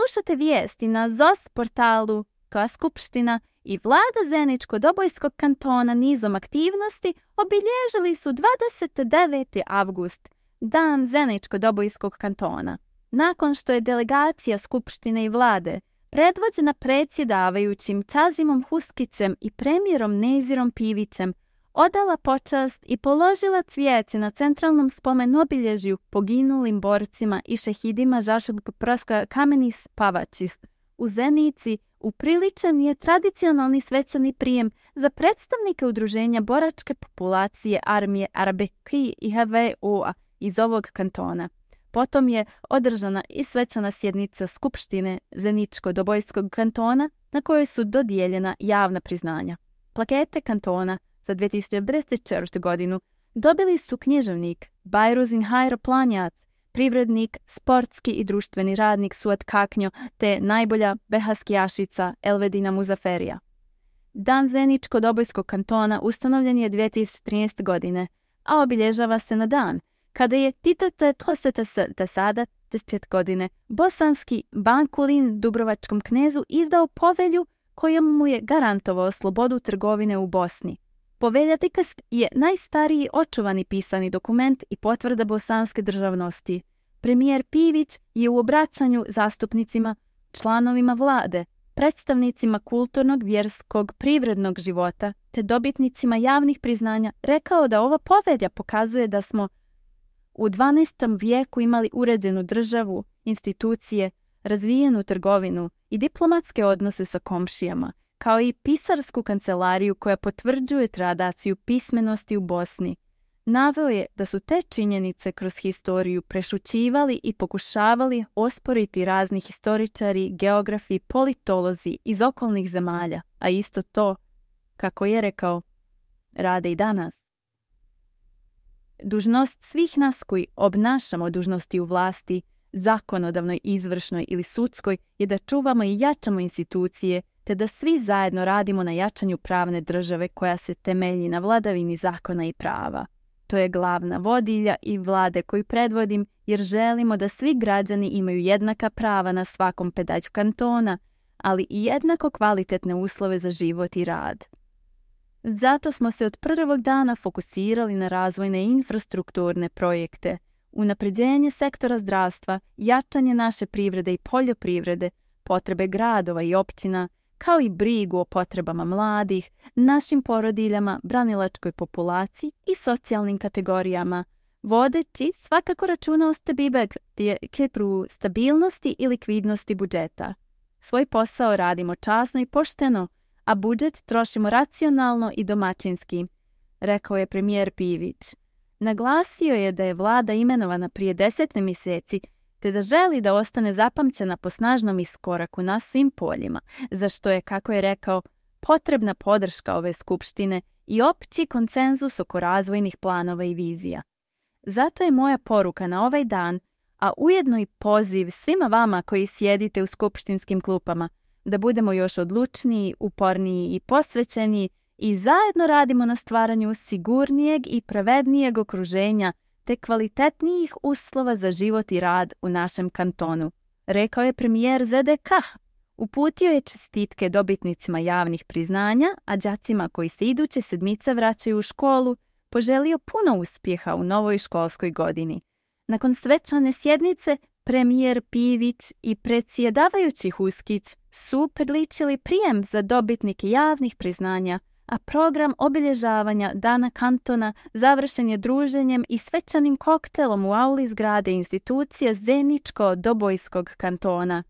slušate vijesti na ZOS portalu koja skupština i vlada Zeničko-Dobojskog kantona nizom aktivnosti obilježili su 29. avgust, dan Zeničko-Dobojskog kantona. Nakon što je delegacija skupštine i vlade, predvođena predsjedavajućim Čazimom Huskićem i premijerom Nezirom Pivićem, odala počast i položila cvijeće na centralnom spomen obilježju poginulim borcima i šehidima Žaškog proskoja Kameni Spavačis u Zenici, upriličen je tradicionalni svečani prijem za predstavnike udruženja boračke populacije armije Arbeki i HVO-a iz ovog kantona. Potom je održana i svečana sjednica Skupštine Zeničko-Dobojskog kantona na kojoj su dodijeljena javna priznanja. Plakete kantona za 2024. godinu dobili su književnik Bajruzin Hajro Planjat, privrednik, sportski i društveni radnik Suat Kaknjo te najbolja behaskijašica Elvedina Muzaferija. Dan Zeničko-Dobojskog kantona ustanovljen je 2013. godine, a obilježava se na dan kada je Tito Tesada 10 godine bosanski bankulin dubrovačkom knezu izdao povelju kojom mu je garantovao slobodu trgovine u Bosni. Povelja Tikas je najstariji očuvani pisani dokument i potvrda bosanske državnosti. Premijer Pivić je u obraćanju zastupnicima, članovima vlade, predstavnicima kulturnog, vjerskog, privrednog života te dobitnicima javnih priznanja rekao da ova povelja pokazuje da smo u 12. vijeku imali uređenu državu, institucije, razvijenu trgovinu i diplomatske odnose sa komšijama, kao i pisarsku kancelariju koja potvrđuje tradiciju pismenosti u Bosni. Naveo je da su te činjenice kroz historiju prešućivali i pokušavali osporiti razni historičari, geografi, politolozi iz okolnih zemalja, a isto to, kako je rekao, rade i danas. Dužnost svih nas koji obnašamo dužnosti u vlasti, zakonodavnoj, izvršnoj ili sudskoj, je da čuvamo i jačamo institucije, te da svi zajedno radimo na jačanju pravne države koja se temelji na vladavini zakona i prava. To je glavna vodilja i vlade koju predvodim, jer želimo da svi građani imaju jednaka prava na svakom pedalju kantona, ali i jednako kvalitetne uslove za život i rad. Zato smo se od prvog dana fokusirali na razvojne infrastrukturne projekte, unapređenje sektora zdravstva, jačanje naše privrede i poljoprivrede, potrebe gradova i općina, kao i brigu o potrebama mladih, našim porodiljama, branilačkoj populaciji i socijalnim kategorijama, vodeći svakako računa o stabilnosti i likvidnosti budžeta. Svoj posao radimo časno i pošteno, a budžet trošimo racionalno i domaćinski, rekao je premijer Pivić. Naglasio je da je vlada imenovana prije 10 mjeseci, te da želi da ostane zapamćena po snažnom iskoraku na svim poljima, za što je, kako je rekao, potrebna podrška ove skupštine i opći konsenzus oko razvojnih planova i vizija. Zato je moja poruka na ovaj dan, a ujedno i poziv svima vama koji sjedite u skupštinskim klupama, da budemo još odlučniji, uporniji i posvećeni i zajedno radimo na stvaranju sigurnijeg i pravednijeg okruženja te kvalitetnijih uslova za život i rad u našem kantonu, rekao je premijer ZDK. Uputio je čestitke dobitnicima javnih priznanja, a đacima koji se iduće sedmice vraćaju u školu, poželio puno uspjeha u novoj školskoj godini. Nakon svečane sjednice, premijer Pivić i predsjedavajući Huskić su priličili prijem za dobitnike javnih priznanja, a program obilježavanja Dana kantona završen je druženjem i svečanim koktelom u auli zgrade institucije Zeničko-Dobojskog kantona.